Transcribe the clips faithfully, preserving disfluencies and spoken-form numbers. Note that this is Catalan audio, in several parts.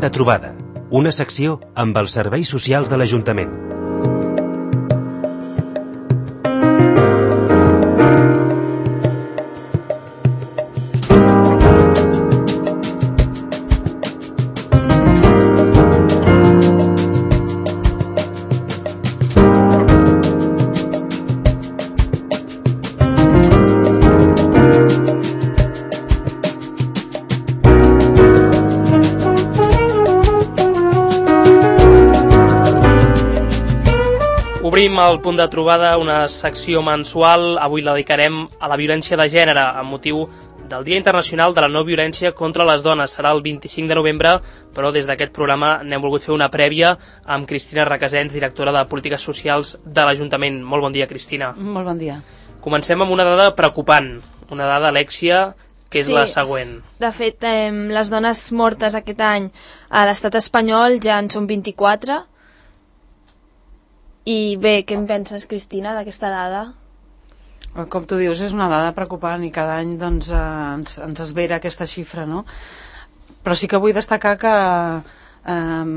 de trobada, una secció amb els serveis socials de l'Ajuntament. Obrim el punt de trobada, una secció mensual. Avui la dedicarem a la violència de gènere amb motiu del Dia Internacional de la No Violència contra les Dones. Serà el vint-i-cinc de novembre, però des d'aquest programa n'hem volgut fer una prèvia amb Cristina Requesens, directora de Polítiques Socials de l'Ajuntament. Molt bon dia, Cristina. Molt bon dia. Comencem amb una dada preocupant, una dada, Alexia, que és sí, la següent. De fet, eh, les dones mortes aquest any a l'estat espanyol ja en són vint-i-quatre. I bé, què en penses, Cristina, d'aquesta dada? Com tu dius, és una dada preocupant i cada any doncs, eh, ens, ens esvera aquesta xifra, no? Però sí que vull destacar que eh,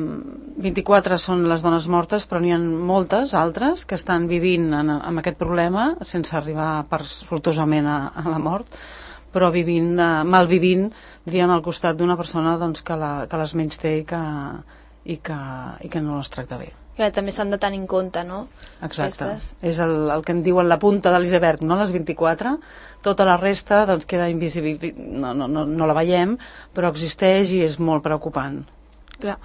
vint-i-quatre són les dones mortes, però n'hi ha moltes altres que estan vivint en, amb aquest problema sense arribar per, sortosament a, a la mort, però vivint, eh, malvivint, diríem, al costat d'una persona doncs, que, la, que les menysté i que, i, que, i que no les tracta bé. Que també s'han de tenir en compte, no? Exacte. Aquestes. És el, el que en diuen la punta de l'iceberg, no? Les vint-i-quatre. Tota la resta doncs, queda invisible, no, no, no, no la veiem, però existeix i és molt preocupant. Clar.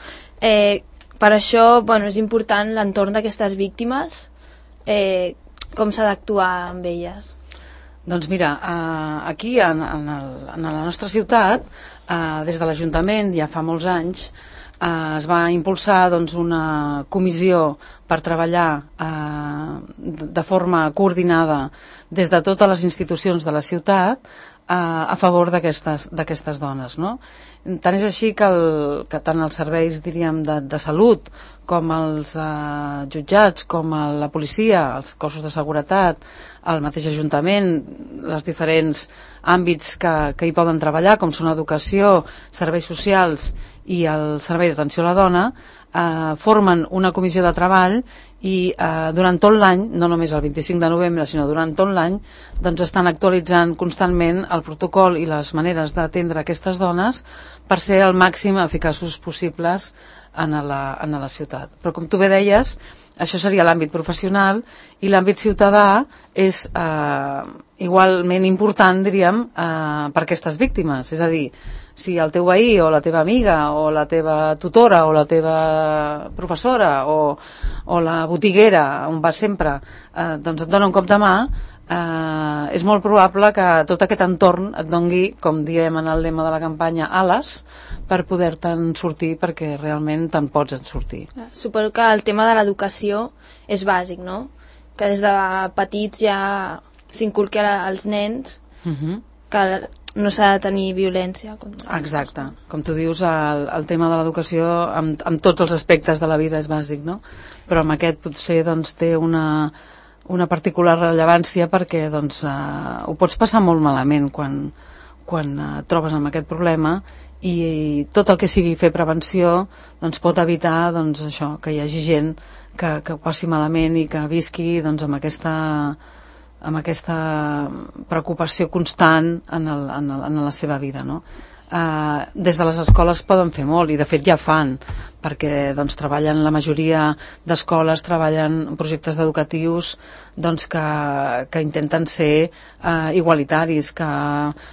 Eh, per això, bueno, és important l'entorn d'aquestes víctimes, eh, com s'ha d'actuar amb elles. Doncs mira, eh, aquí en, en, el, en la nostra ciutat, eh, des de l'Ajuntament, ja fa molts anys, Eh, es va impulsar doncs, una comissió per treballar eh, de forma coordinada des de totes les institucions de la ciutat eh, a favor d'aquestes d'aquestes dones, no? Tant és així que, el, que tant els serveis, diríem, de, de salut com els eh, jutjats, com el, la policia, els cossos de seguretat, el mateix Ajuntament, els diferents àmbits que, que hi poden treballar, com són educació, serveis socials i el Servei d'Atenció a la Dona, eh, formen una comissió de treball i eh, durant tot l'any, no només el vint-i-cinc de novembre, sinó durant tot l'any, doncs estan actualitzant constantment el protocol i les maneres d'atendre aquestes dones per ser el màxim eficaços possibles en la, en la ciutat. Però com tu bé deies, això seria l'àmbit professional i l'àmbit ciutadà és eh, igualment important, diríem, eh, per aquestes víctimes. És a dir, si el teu veí o la teva amiga o la teva tutora o la teva professora o, o la botiguera on vas sempre eh, doncs et dona un cop de mà, eh, és molt probable que tot aquest entorn et dongui, com diem en el lema de la campanya, ales per poder-te'n sortir, perquè realment te'n pots en sortir. Suposo que el tema de l'educació és bàsic, no? Que des de petits ja s'inculqui als nens uh-huh. que no s'ha de tenir violència. Exacte. Com tu dius, el, el tema de l'educació amb, amb tots els aspectes de la vida és bàsic, no? Però amb aquest potser doncs, té una, una particular rellevància perquè doncs, eh, ho pots passar molt malament quan, quan eh, et trobes amb aquest problema i, i tot el que sigui fer prevenció doncs, pot evitar doncs, això, que hi hagi gent que, que ho passi malament i que visqui doncs, amb aquesta amb aquesta preocupació constant en, el, en, el, en la seva vida, no? Uh, des de les escoles poden fer molt i de fet ja fan, perquè doncs, treballen, la majoria d'escoles treballen projectes educatius doncs, que, que intenten ser uh, igualitaris, que,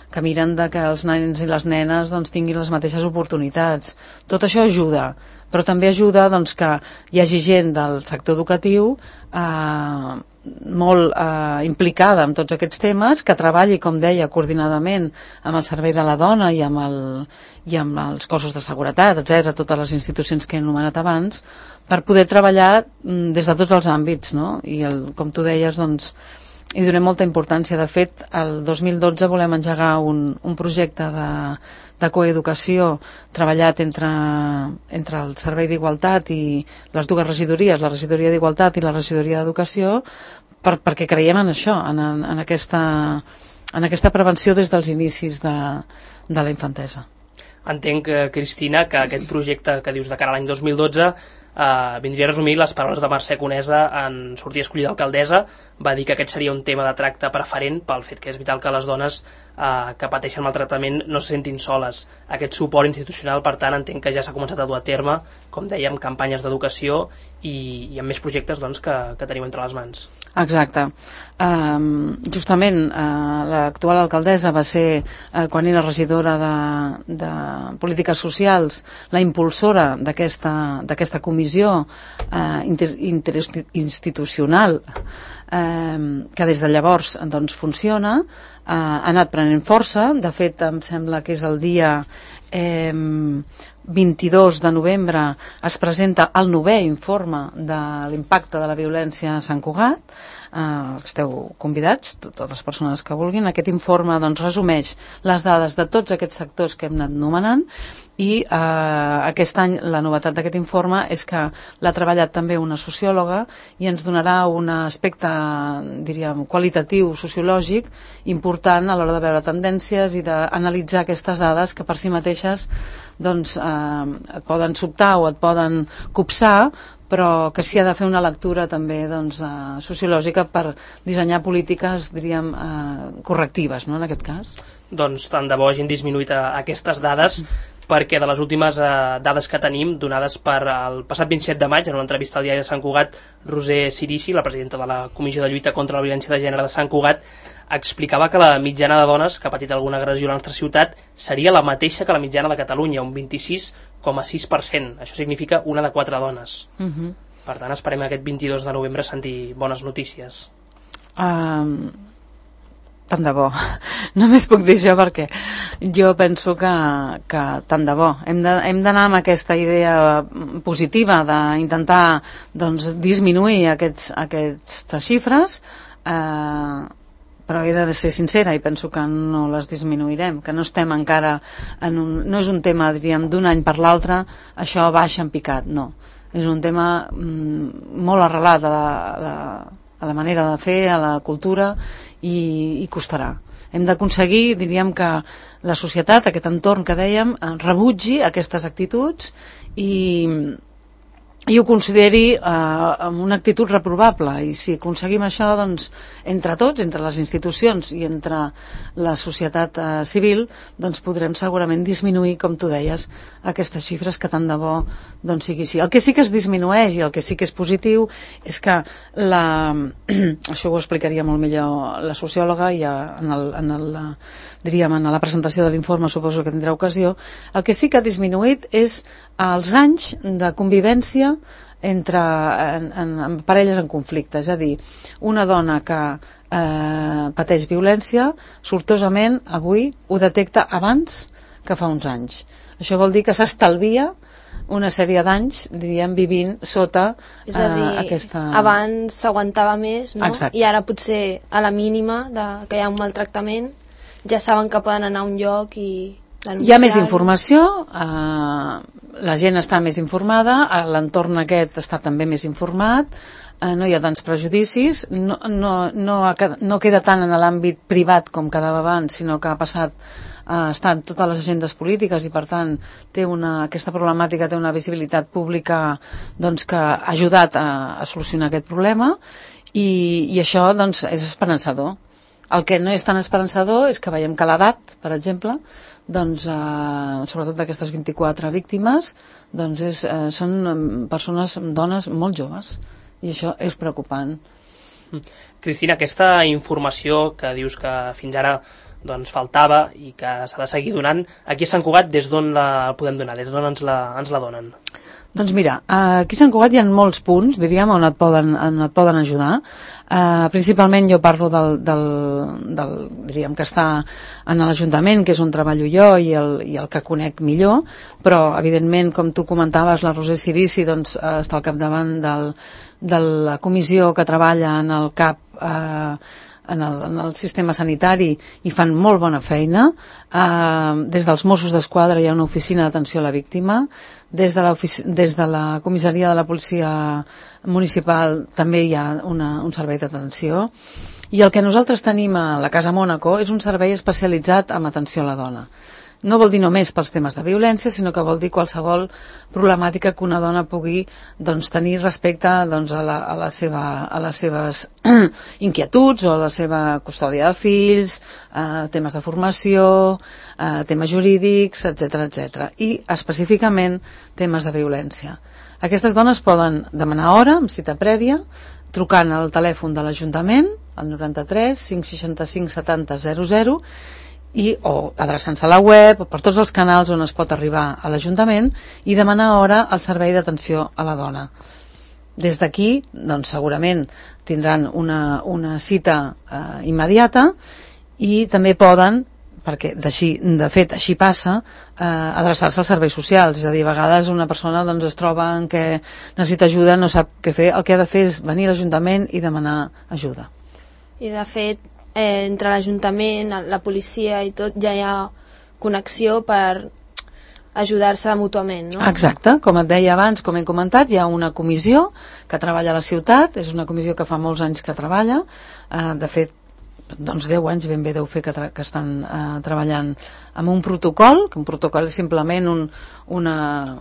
que miren de que els nens i les nenes doncs, tinguin les mateixes oportunitats. Tot això ajuda, però també ajuda doncs, que hi hagi gent del sector educatiu eh, molt eh, implicada en tots aquests temes, que treballi, com deia, coordinadament amb el Servei de la Dona i amb, el, i amb els cossos de seguretat, etcètera, totes les institucions que he anomenat abans, per poder treballar mm, des de tots els àmbits, no? I el, com tu deies, doncs, hi donem molta importància. De fet, el dos mil dotze volem engegar un, un projecte de, de coeducació treballat entre, entre el Servei d'Igualtat i les dues regidories, la regidoria d'Igualtat i la regidoria d'Educació, per, perquè creiem en això, en, en, aquesta, en aquesta prevenció des dels inicis de, de la infantesa. Entenc, Cristina, que aquest projecte que dius de cara a l'any dos mil dotze eh, vindria a resumir les paraules de Mercè Conesa en sortir escollida alcaldessa. Va dir que aquest seria un tema de tracte preferent pel fet que és vital que les dones eh, que pateixen maltractament no se sentin soles. Aquest suport institucional, per tant, entenc que ja s'ha començat a dur a terme, com dèiem, campanyes d'educació i, i amb més projectes doncs, que, que teniu entre les mans. Exacte. Um, justament uh, l'actual alcaldessa va ser, uh, quan era regidora de, de polítiques socials, la impulsora d'aquesta d'aquesta comissió uh, inter, interinstitucional um, que des de llavors doncs, funciona, uh, ha anat prenent força. De fet, em sembla que és el dia eh, vint-i-dos de novembre es presenta el novè informe de l'impacte de la violència a Sant Cugat. Uh, esteu convidats, totes les persones que vulguin. Aquest informe doncs, resumeix les dades de tots aquests sectors que hem anat nomenant i uh, aquest any la novetat d'aquest informe és que l'ha treballat també una sociòloga i ens donarà un aspecte, diríem, qualitatiu, sociològic important a l'hora de veure tendències i d'analitzar aquestes dades que per si mateixes doncs, uh, et poden sobtar o et poden copsar, però que s'hi ha de fer una lectura també doncs, uh, sociològica per dissenyar polítiques, diríem, uh, correctives, no?, en aquest cas. Doncs tant de bo hagin disminuït uh, aquestes dades, perquè de les últimes uh, dades que tenim, donades per el passat vint-i-set de maig, en una entrevista al diari de Sant Cugat, Roser Cirici, la presidenta de la Comissió de Lluita contra la Violència de Gènere de Sant Cugat, explicava que la mitjana de dones que ha patit alguna agressió a la nostra ciutat seria la mateixa que la mitjana de Catalunya, un vint-i-sis coma sis per cent. Això significa una de quatre dones. Uh -huh. Per tant, esperem aquest vint-i-dos de novembre sentir bones notícies. Um, tant de bo. Només puc dir això perquè jo penso que, que tant de bo. Hem de, hem d'anar amb aquesta idea positiva d'intentar doncs, disminuir aquests, aquestes xifres, eh, però he de ser sincera i penso que no les disminuirem, que no estem encara en un, no és un tema, diríem, d'un any per l'altre això baixa en picat, no, és un tema mm, molt arrelat a la, a, la, a la manera de fer, a la cultura i, i costarà. Hem d'aconseguir, diríem, que la societat, aquest entorn que dèiem, rebutgi aquestes actituds i i ho consideri eh, amb una actitud reprovable, i si aconseguim això doncs, entre tots, entre les institucions i entre la societat eh, civil, doncs podrem segurament disminuir, com tu deies, aquestes xifres, que tant de bo doncs, sigui així. El que sí que es disminueix i el que sí que és positiu és que la... això ho explicaria molt millor la sociòloga i en, el, en, el, diríem, en la presentació de l'informe suposo que tindrà ocasió. El que sí que ha disminuït és els anys de convivència entre en, en, en parelles en conflicte, és a dir, una dona que eh, pateix violència, sortosament avui ho detecta abans que fa uns anys. Això vol dir que s'estalvia una sèrie d'anys, diríem, vivint sota eh, és a dir, aquesta... abans s'aguantava més, no? Exacte. I ara potser a la mínima de, que hi ha un maltractament ja saben que poden anar a un lloc i denunciar. Hi ha més informació, eh, la gent està més informada, l'entorn aquest està també més informat, eh, no hi ha tants prejudicis, no, no, no, no queda tant en l'àmbit privat com quedava abans, sinó que ha passat a estar en totes les agendes polítiques i per tant té una, aquesta problemàtica té una visibilitat pública doncs, que ha ajudat a, a solucionar aquest problema i, i això doncs, és esperançador. El que no és tan esperançador és que veiem que l'edat, per exemple, doncs, eh, sobretot d'aquestes vint-i-quatre víctimes, doncs és, eh, són persones, dones molt joves, i això és preocupant. Cristina, aquesta informació que dius que fins ara doncs, faltava i que s'ha de seguir donant, aquí a Sant Cugat des d'on la podem donar, des d'on ens la, ens la donen? Doncs mira, aquí a Sant Cugat hi ha molts punts, diríem, on et poden, on et poden ajudar. Uh, principalment jo parlo del, del, del, diríem, que està en l'Ajuntament, que és on treballo jo i el, i el que conec millor, però evidentment, com tu comentaves, la Roser Cirici doncs, uh, està al capdavant del, de la comissió que treballa en el CAP uh, en el, en el sistema sanitari i fan molt bona feina. Uh, des dels Mossos d'Esquadra hi ha una oficina d'atenció a la víctima, des de, la des de la comissaria de la policia municipal també hi ha una, un servei d'atenció, i el que nosaltres tenim a la Casa Mònaco és un servei especialitzat en atenció a la dona. no vol dir només pels temes de violència, sinó que vol dir qualsevol problemàtica que una dona pugui doncs, tenir respecte doncs, a, la, a, la seva, a les seves inquietuds o a la seva custòdia de fills, eh, temes de formació, eh, temes jurídics, etcètera, etcètera. I específicament temes de violència. Aquestes dones poden demanar hora, amb cita prèvia, trucant al telèfon de l'Ajuntament, al noranta-tres cinc seixanta-cinc setanta zero zero, i, o adreçant-se a la web, o per tots els canals on es pot arribar a l'Ajuntament, i demanar hora al servei d'atenció a la dona. Des d'aquí, doncs, segurament tindran una, una cita eh, immediata, i també poden, perquè d'així, de fet així passa, eh, adreçar-se als serveis socials. És a dir, a vegades una persona doncs, es troba en què necessita ajuda, no sap què fer, el que ha de fer és venir a l'Ajuntament i demanar ajuda. I de fet, eh, entre l'Ajuntament, la policia i tot, ja hi ha connexió per ajudar-se mútuament, no? Exacte, com et deia abans, com hem comentat, hi ha una comissió que treballa a la ciutat, és una comissió que fa molts anys que treballa, eh, de fet, doncs deu anys ben bé deu fer que, que estan eh, treballant amb un protocol, que un protocol és simplement un, una,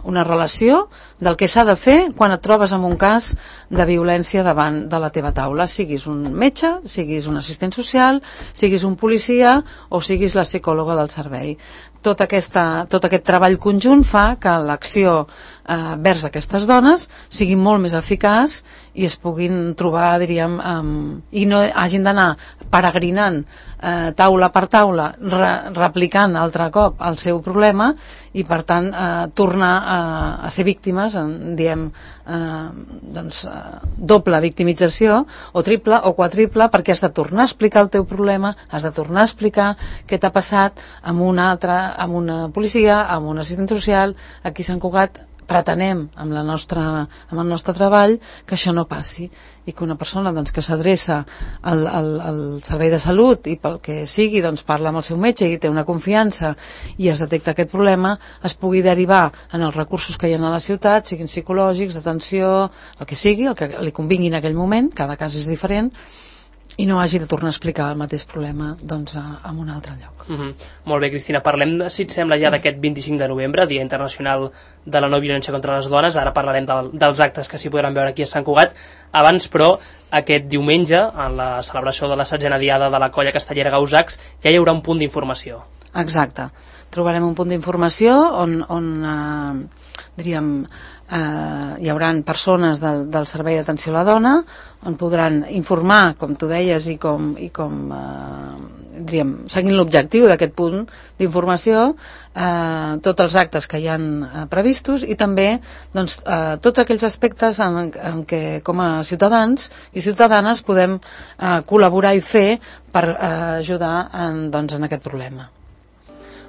una relació del que s'ha de fer quan et trobes en un cas de violència davant de la teva taula, siguis un metge, siguis un assistent social, siguis un policia o siguis la psicòloga del servei. Tot, aquesta, tot aquest treball conjunt fa que l'acció eh, vers aquestes dones sigui molt més eficaç i es puguin trobar, diríem, um, i no hagin d'anar peregrinant eh, taula per taula, re, replicant altre cop el seu problema i, per tant, eh, tornar a, a ser víctimes, en diem eh, doncs, eh, doble victimització, o triple o quadriple, perquè has de tornar a explicar el teu problema, has de tornar a explicar què t'ha passat amb una altra, amb una policia, amb un assistent social. Aquí a Sant Cugat pretenem amb, la nostra, amb el nostre treball que això no passi i que una persona doncs, que s'adreça al, al, al servei de salut i pel que sigui doncs, parla amb el seu metge i té una confiança i es detecta aquest problema, es pugui derivar en els recursos que hi ha a la ciutat, siguin psicològics, d'atenció, el que sigui, el que li convingui en aquell moment, cada cas és diferent, i no hagi de tornar a explicar el mateix problema doncs, a, a un altre lloc. Mm-hmm. Molt bé, Cristina, parlem, si et sembla, ja d'aquest vint-i-cinc de novembre, Dia Internacional de la No Violència contra les Dones. Ara parlarem del, dels actes que s'hi podran veure aquí a Sant Cugat. Abans, però, aquest diumenge, en la celebració de la setzena diada de la Colla Castellera Gausacs, ja hi haurà un punt d'informació. Exacte. Trobarem un punt d'informació on, on eh, diríem, eh, hi haurà persones del, del Servei d'Atenció a la Dona on podran informar, com tu deies, i com, i com eh, diríem, seguint l'objectiu d'aquest punt d'informació, eh, tots els actes que hi han eh, previstos i també doncs, eh, tots aquells aspectes en, en què com a ciutadans i ciutadanes podem eh, col·laborar i fer per eh, ajudar en, doncs, en aquest problema.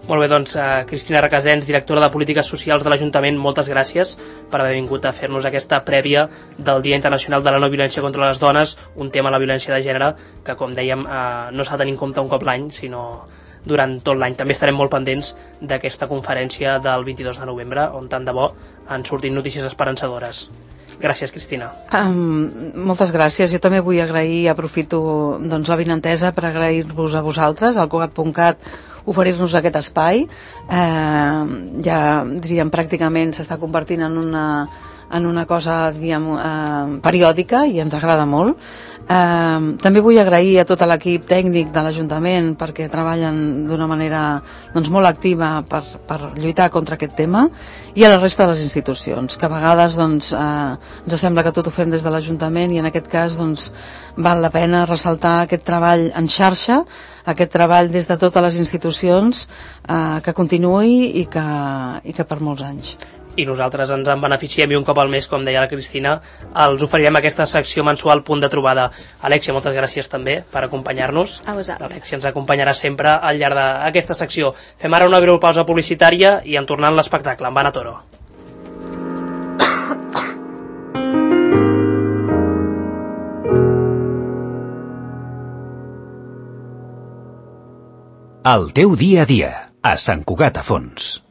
Molt bé, doncs, uh, Cristina Requesens, directora de Polítiques Socials de l'Ajuntament, moltes gràcies per haver vingut a fer-nos aquesta prèvia del Dia Internacional de la No Violència contra les Dones, un tema, la violència de gènere, que, com dèiem, uh, no s'ha de tenir en compte un cop l'any, sinó durant tot l'any. També estarem molt pendents d'aquesta conferència del vint-i-dos de novembre, on tant de bo han sortit notícies esperançadores. Gràcies, Cristina. Um, moltes gràcies. Jo també vull agrair, aprofito doncs, la vinentesa per agrair-vos a vosaltres, al Cugat punt cat, oferir-nos aquest espai. Eh, ja, diríem, pràcticament s'està convertint en una, en una cosa, diríem, eh, periòdica i ens agrada molt. Eh, també vull agrair a tot l'equip tècnic de l'Ajuntament perquè treballen d'una manera doncs, molt activa per, per lluitar contra aquest tema, i a la resta de les institucions, que a vegades doncs, eh, ens sembla que tot ho fem des de l'Ajuntament i en aquest cas doncs, val la pena ressaltar aquest treball en xarxa, aquest treball des de totes les institucions, eh, que continuï i que, i que per molts anys. I nosaltres ens en beneficiem i un cop al mes, com deia la Cristina, els oferirem aquesta secció mensual Punt de Trobada. Alexia, moltes gràcies també per acompanyar-nos. A vosaltres. Alexia ens acompanyarà sempre al llarg d'aquesta secció. Fem ara una breu pausa publicitària i en tornant l'espectacle amb Anna Toro. El teu dia a dia, a Sant Cugat a Fons.